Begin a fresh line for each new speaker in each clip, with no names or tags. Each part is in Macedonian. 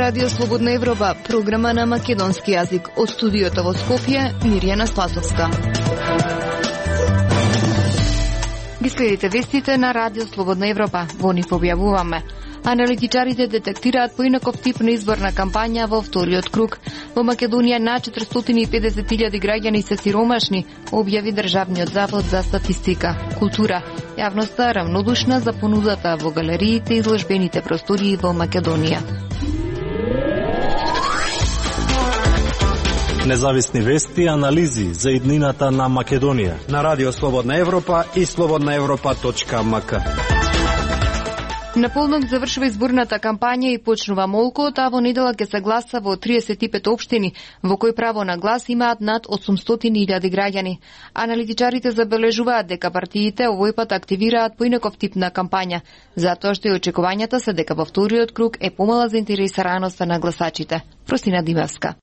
Радио Слободна Европа, програма на македонски јазик. Од студиото во Скопје, Мирјана Спасовска. Ги следите вестите на Радио Слободна Европа. Во нив објавуваме. Аналитичарите детектираат поинаков тип на изборна кампања во вториот круг. Во Македонија на 450.000 граѓани се сиромашни, објави Државниот завод за статистика. Култура. Јавноста равнодушна за понудата во галериите и изложбените простории во Македонија.
Независни вести и анализи за иднината на Македонија
на Радио Слободна Европа и slobodnaevropa.mk.
На полнок завршува изборната кампања и почнува молкот, а во недела ќе се гласа во 35 општини, во кои право на глас имаат над 800.000 граѓани. Аналитичарите забележуваат дека партиите овој пат активираат поинаков тип на кампања, затоа што и очекувањата се дека во вториот круг е помала заинтересираноста на гласачите. Простина Димевска.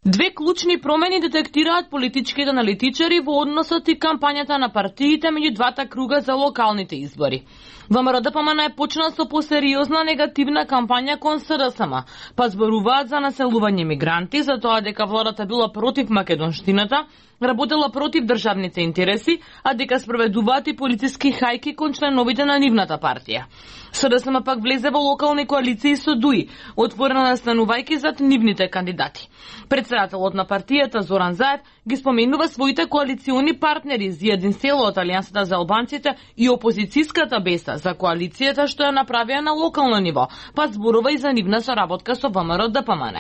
Две клучни промени детектираат политичките аналитичари во односот и кампањата на партиите меѓу двата круга за локалните избори. ВМРО ДПМН е почна со посериозна негативна кампања кон СДСМ, па зборуваат за населување мигранти, за тоа дека владата била против македонштината, работела против државните интереси, а дека спроведуваат и полициски хајки кон членовите на нивната партија. СДСМ пак влезе во локални коалиции со ДУИ, отворена настанувајќи зад нивните кандидати. Председателот на партијата Зоран Заев ги споменува своите коалициони партнери Зијадин Село од Алијансата за албанците и опозицијската Беса за коалицијата што ја направија на локално ниво, па зборува и за нивна соработка со ВМРО ДПМН.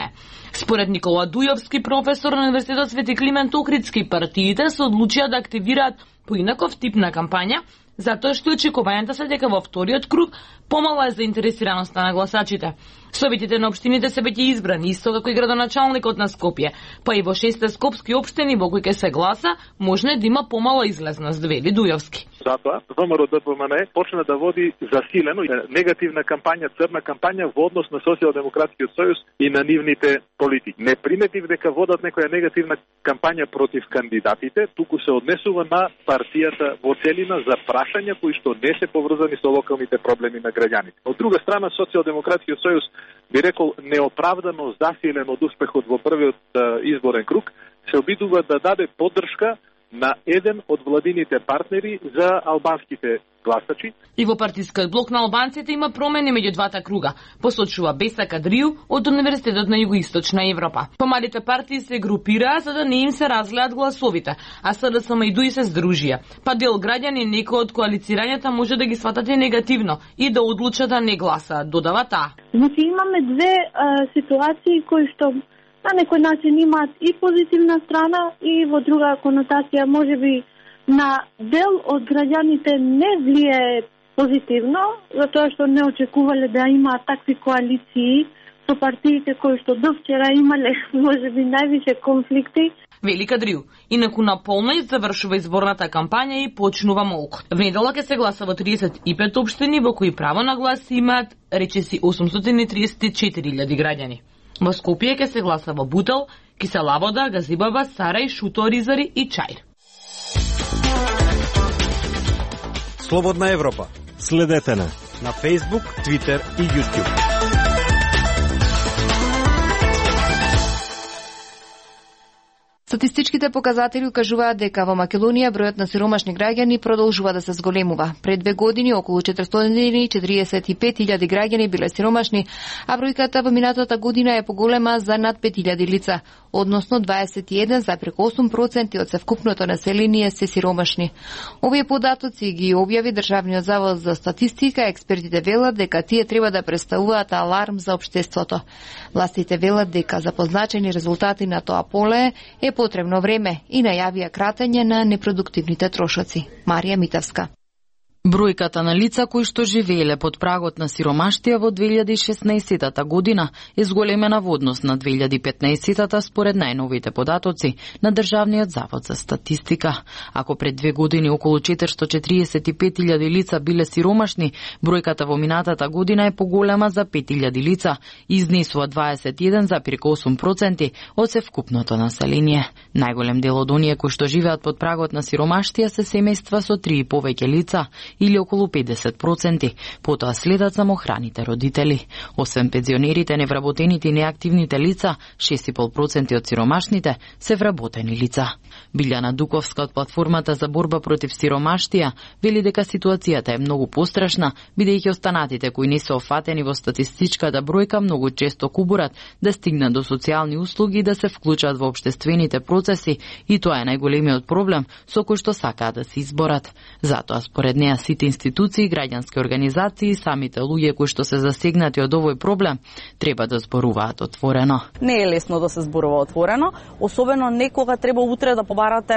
Според Никола Дујовски, професор на Универзитетот Свети Климент Охридски, партиите се одлучија да активираат поинаков тип на кампања, затоа што очекувањата се дека во вториот круг помала е заинтересираноста на гласачите. Советите на општините се веќе избрани, исто како и градоначалникот на Скопје, па и во 6 скопски општини во кои ќе се гласа, може да има помала излезност, вели Дујовски.
Затоа ВМРО ДПМН почна да води засилено негативна кампања, црна кампања во однос на Социјалдемократскиот сојуз и на нивните политики. Не приметив дека водат некоја негативна кампања против кандидатите, туку се однесува на партијата во целина за прашања кои што не се поврзани со локалните проблеми на граѓаните. Од друга страна, Социјалдемократскиот сојуз би рекол неоправдано засилен од успехот во првиот изборен круг, се обидува да даде поддршка на еден од владините партнери за албанските гласачи.
И во партискиот блок на албанците има промени меѓу двата круга, посочува Беса Кадрију од Универзитетот на Југоисточна Европа. Помалите партии се групираа за да не им се разгледат гласовите, а СДСМ и ДУИ се здружија. Па дел граѓани некои од коалицирањата може да ги сватат и негативно и да одлучат да не гласаат, додава таа.
Значи имаме две ситуации кои што на некој начин имаат и позитивна страна и во друга конотација можеби на дел од граѓаните не влие позитивно, затоа што не очекувале да имаат такви коалиции со партиите кои што до вчера имале можеби највише конфликти.
Вели Кадрију, инаку на полној завршува изборната кампања и почнува молкот. В недела ќе се гласа во 35 општини во кои право на глас имаат речиси 834.000 граѓани. Во Скопје ќе се гласа во Бутел, Кисела Вода, Газибаба, Сарај, Шуто, Ризари и Чаир.
Слободна Европа.
Следете на
Facebook, Twitter и YouTube.
Статистичките показатели укажуваат дека во Македонија бројот на сиромашни граѓани продолжува да се зголемува. Пред 2 години околу 445.000 граѓани биле сиромашни, а бројката во минатата година е поголема за над 5.000 лица, односно 21,8% од севкупното население се сиромашни. Овие податоци ги објави Државниот завод за статистика, експертите велат дека тие треба да представуваат аларм за општеството. Властите велат дека за позначени резултати на тоа поле е потребно време и најавија кратење на непродуктивните трошоци. Марија Митевска.
Бројката на лица кои што живееле под прагот на сиромаштија во 2016 година е зголемена во однос на 2015 според најновите податоци на Државниот завод за статистика. Ако пред 2 години околу 445.000 лица биле сиромашни, бројката во минатата година е поголема за 5.000 лица, изнесува 21,8% од севкупното население. Најголем дел од оние кои што живеат под прагот на сиромаштија се семејства со 3 и повеќе лица или околу 50%. Потоа следат самохраните родители. Освен пензионерите, невработените и неактивните лица, 6,5% од сиромашните се вработени лица. Билјана Дуковска од платформата за борба против сиромаштија вели дека ситуацијата е многу пострашна, бидејќи останатите кои не се офатени во статистичката бројка многу често кубурат да стигнат до социјални услуги и да се вклучат во општествените процеси, и тоа е најголемиот проблем со кој што сакаат да се изборат. Затоа според неа сите институции, граѓански организации и самите луѓе кои што се засегнати од овој проблем треба да зборуваат отворено.
Не е лесно да се зборува отворено, особено некога треба утре да побарате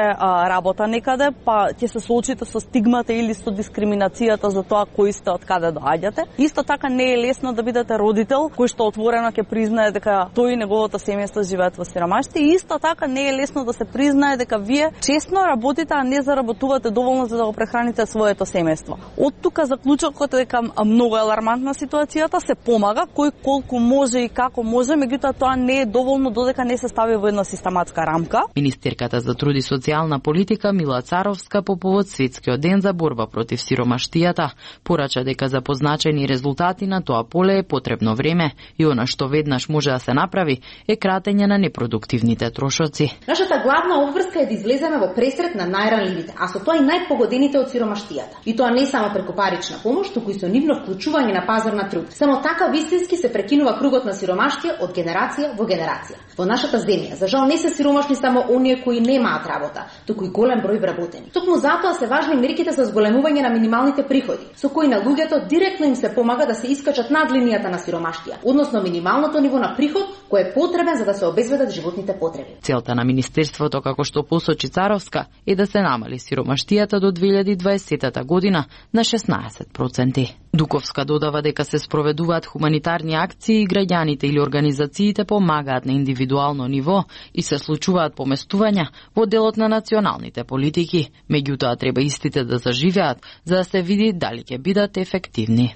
работа некаде, па ќе се соочите со стигмата или со дискриминацијата за тоа кои сте, од каде доаѓате. Исто така не е лесно да бидете родител кој што отворено ќе признае дека тој и неговото семејство живеат во сиромаштво. И исто така не е лесно да се признае дека вие честно работите, а не заработувате доволно за да го прехраните своето семејство. Од тука заклучокот е дека многу алармантна ситуацијата, се помага кој колку може и како може, меѓутоа тоа не е доволно додека не се стави во една систематска рамка.
Министерката за труд и социјална политика Мила Царовска по повод Светскиот ден за борба против сиромаштијата порача дека за позначени резултати на тоа поле е потребно време и она што веднаш може да се направи е кратење на непродуктивните трошоци.
Нашата главна обврска е да излеземе во пресрет на најранливите, а со тоа и најпогодените од сиромаштијата. И тоа не само преку парична помош, туку и со нивно вклучување на пазар на труд. Само така вистински се прекинува кругот на сиромаштија од генерација во генерација. Во нашата земја, за жал, не се сиромашни само оние кои немаат работа, туку и голем број вработени. Токму затоа се важни мерките за зголемување на минималните приходи, со кои на луѓето директно им се помага да се искачат над линијата на сиромаштија, односно минималното ниво на приход кој е потребен за да се обезбедат животните потреби.
Целта на министерството, како што посочи Царовска, е да се намали сиромаштијата до 2020 година на 16%. Дуковска додава дека се спроведуваат хуманитарни акции и граѓаните или организациите помагаат на индивидуално ниво и се случуваат поместувања во делот на националните политики. Меѓутоа треба истите да заживеат за да се види дали ќе бидат ефективни.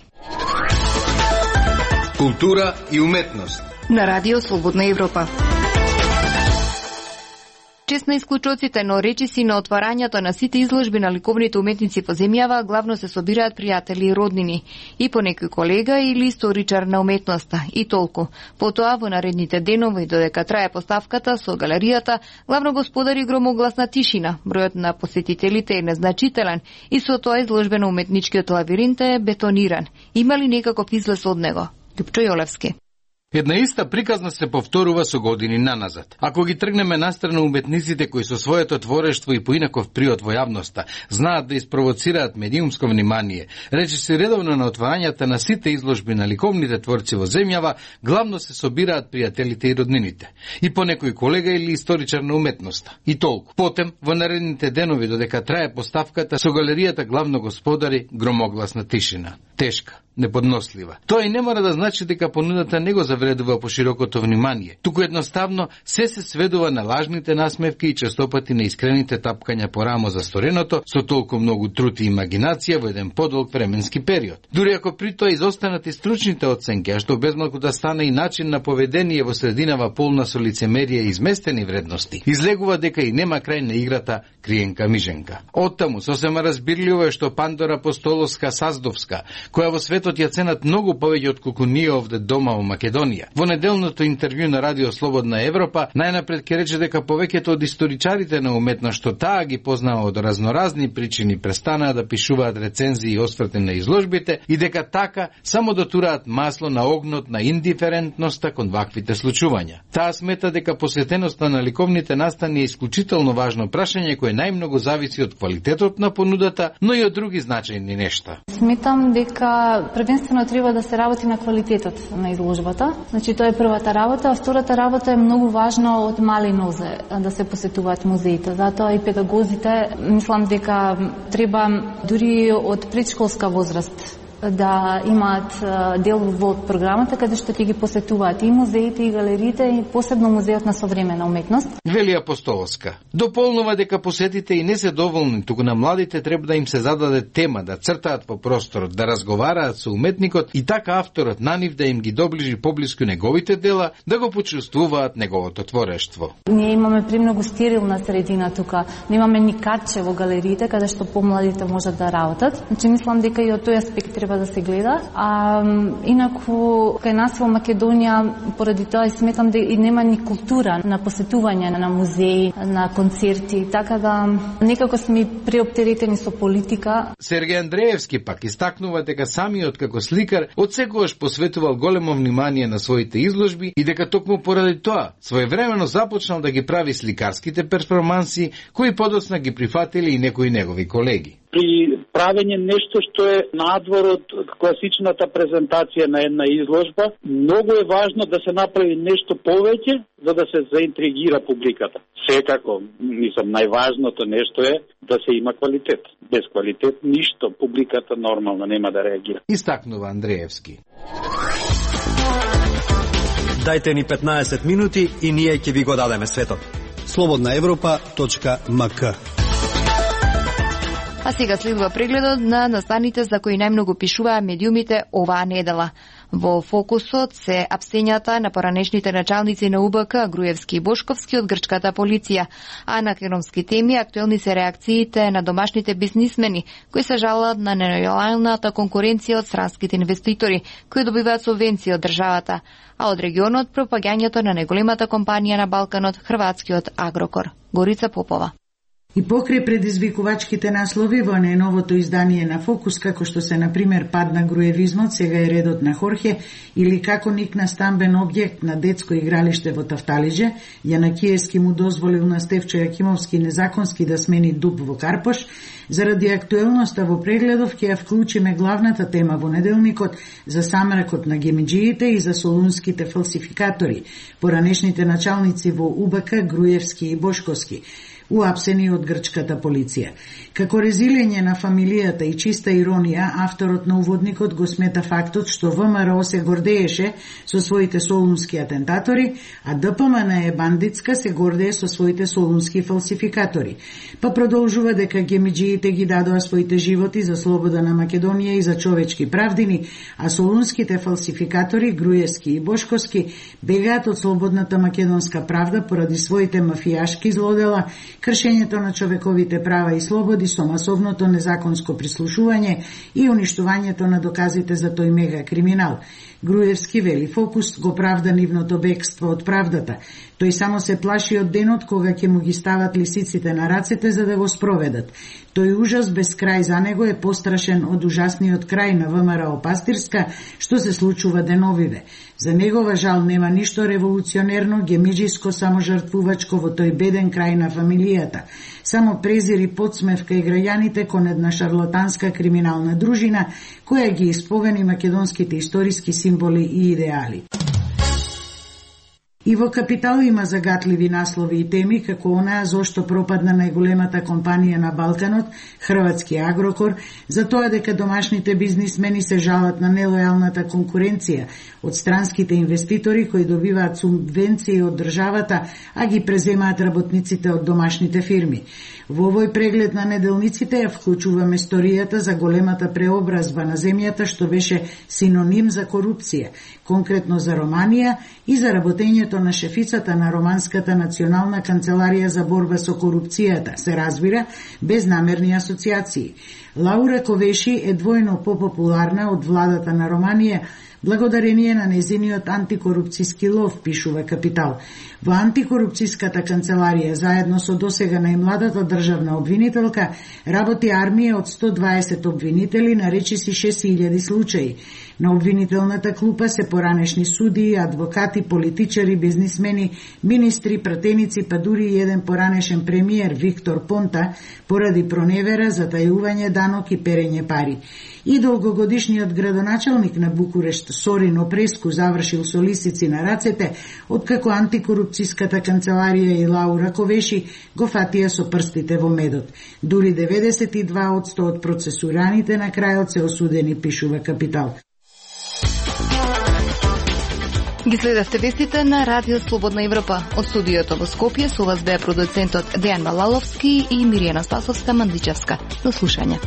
Култура и уметност
на Радио Слободна Европа. Чест на исклучоците, но речиси на отварањето на сите изложби на ликовните уметници во земјава главно се собираат пријатели и роднини, и по некој колега или историчар на уметноста, и толку. Потоа, во наредните денови, додека трае поставката со галеријата, главно господари громогласна тишина. Бројот на посетителите е незначителен и со тоа изложбено уметничкиот лавиринт е бетониран. Има ли некаков излез од него? Љупчо Јолевски.
Една иста приказна се повторува со години наназад. Ако ги тргнеме настрана уметниците кои со своето творештво и поинаков приод во јавноста знаат да испровоцираат медиумско внимание, речи се редовно на отварањата на сите изложби на ликовните творци во земјава, главно се собираат пријателите и роднините. И по некој колега или историчар на уметноста. И толку. Потем, во наредните денови додека трае поставката, со галеријата главно господари громогласна тишина. Тешка, неподнослива. Тоа и не мора да значи дека понудата не го завредува по широкото внимание. Туку едноставно се сведува на лажните насмевки и честопати на искрените тапкања по рамо за стореното со толку многу труд и имагинација во еден подолг временски период. Дури ако при тоа изостанат и стручните оценки, а што безмалку да стане и начин на поведение во срединава полна со лицемерие и изместени вредности, излегува дека и нема крај на играта криенка-миженка. Оттаму сосема разбирливо е што Пандора Апостоловска-Саздовска, која во светот ја ценат многу повеќе од колку ние овде дома во Македонија. Во неделното интервју на Радио Слободна Европа најнапред ќе рече дека повеќето од историчарите на уметност што таа ги познава од разноразни причини престанаа да пишуваат рецензии и осврти на изложбите и дека така само дотураат масло на огнот на индиферентноста кон ваквите случувања. Таа смета дека посветеноста на ликовните настани е исклучително важно прашање кое најмногу зависи од квалитетот на понудата, но и од други значајни нешта.
Сметам дека првенствено треба да се работи на квалитетот на изложбата. Значи тоа е првата работа, а втората работа е многу важна од мали нозе да се посетуваат музеите. Затоа и педагозите мислам дека треба дури од предшколска возраст да имаат дел во програмата каде што ќе ги посетуваат и музеите и галериите и посебно музеот на современа уметност.
Вели Апостолска. Дополнува дека посетите и не се доволни, туку на младите треба да им се зададе тема, да цртаат по просторот, да разговараат со уметникот и така авторот на нив да им ги доближи поблиску неговите дела, да го почувствуваат неговото творештво.
Ние имаме премногу стерилна средина тука. Немаме ни каче во галериите каде што помладите можат да работат. Значи мислам дека и од тој аспект треба да се гледа. Инаку кај нас во Македонија поради тоа сметам дека и нема ни култура на посетување на музеи, на концерти, така да некако сме преоптеретени со политика.
Сергеј Андреевски пак истакнува дека самиот како сликар одсекогаш посветувал големо внимание на своите изложби и дека токму поради тоа своевремено започнал да ги прави сликарските перформанси кои подоцна ги прифатили и некои негови колеги.
При правење нешто што е надвор од класичната презентација на една изложба, многу е важно да се направи нешто повеќе за да се заинтригира публиката. Секако, мислам, најважното нешто е да се има квалитет. Без квалитет ништо публиката нормално нема да реагира.
Истакнува Андреевски.
Дајте ни 15 минути и ние ќе ви го дадеме светот.
slobodnaevropa.mk.
А сега следува прегледот на настаните за кои најмногу пишуваа медиумите оваа недела. Во фокусот се апсењата на поранешните началници на УБК, Груевски и Бошковски од грчката полиција, а на економски теми актуелни се реакциите на домашните бизнисмени, кои се жалат на нелојалната конкуренција од странските инвеститори, кои добиваат субвенции од државата, а од регионот пропагањето на најголемата компанија на Балканот, хрватскиот Агрокор. Горица Попова.
И покрај предизвикувачките наслови во најновото издание на Фокус, како што се, например, пад на груевизмот, сега е редот на Хорхе, или како никна стамбен објект на детско игралиште во Тафталиџе, Јанакиевски му дозволил на Стефчо Јакимовски незаконски да смени дуб во Карпош, заради актуелноста во прегледов ќе ја вклучиме главната тема во неделникот за самракот на гемиџиите и за солунските фалсификатори, поранешните началници во УБК, Груевски и Бошковски, уапсени од грчката полиција. Како резилење на фамилијата и чиста иронија, авторот на уводникот го смета фактот што ВМРО се гордееше со своите солунски атентатори, а ДПМН е бандитска се гордее со своите солунски фалсификатори. Па продолжува дека гемиџиите ги дадоа своите животи за слобода на Македонија и за човечки правдини, а солунските фалсификатори, Груевски и Бошковски, бегаат од слободната македонска правда поради своите мафијашки злодела, кршењето на човековите права и слободи со масовното незаконско прислушување и уништувањето на доказите за тој мега криминал. Груевски вели Фокус го правда нивното бегство од правдата. Тој само се плаши од денот кога ќе му ги стават лисиците на рацете за да го спроведат. Тој ужас без крај за него е пострашен од ужасниот крај на ВМРО Пастирска, што се случува деновиве. За негова жал нема ништо револуционерно, гемиџиско, саможртвувачко во тој беден крај на фамилијата. Само презир и подсмевка и граѓаните кон една шарлатанска криминална дружина, која ги исповени македонските историски символи и идеали. И во Капитал има загатливи наслови и теми, како онаа зошто пропадна најголемата компанија на Балканот, хрватски Агрокор, за тоа дека домашните бизнисмени се жалат на нелојалната конкуренција од странските инвеститори кои добиваат субвенции од државата, а ги преземаат работниците од домашните фирми. Во овој преглед на неделниците ја вклучуваме историјата за големата преобразба на земјата што беше синоним за корупција, конкретно за Романија и за работењето на шефицата на Романската национална канцеларија за борба со корупцијата, се разбира, без намерни асоциации. Лаура Ковеши е двојно попопуларна од владата на Романија, благодарение на незиниот антикорупцијски лов, пишува Капитал. Во антикорупцијската канцеларија, заедно со досега најмладата државна обвинителка, работи армија од 120 обвинители на речиси 6000 случаи. На обвинителната клупа се поранешни судии, адвокати, политичари, бизнисмени, министри, пратеници, па дури и еден поранешен премиер Виктор Понта, поради проневера, затајување данок и перење пари. И долгогодишниот градоначалник на Букурешт Сорин Опреску завршил со лисици на рацете, откако антикорупцијската канцеларија и Лаура Ковеши го фатија со прстите во медот. Дури 92% од процесураните на крајот се осудени, пишува Капитал.
Ги следавте вестите на Радио Слободна Европа. Од студиото во Скопје со вас беа продуцентот Дејан Малаловски и Миријана Спасовска-Мандличевска. До слушање.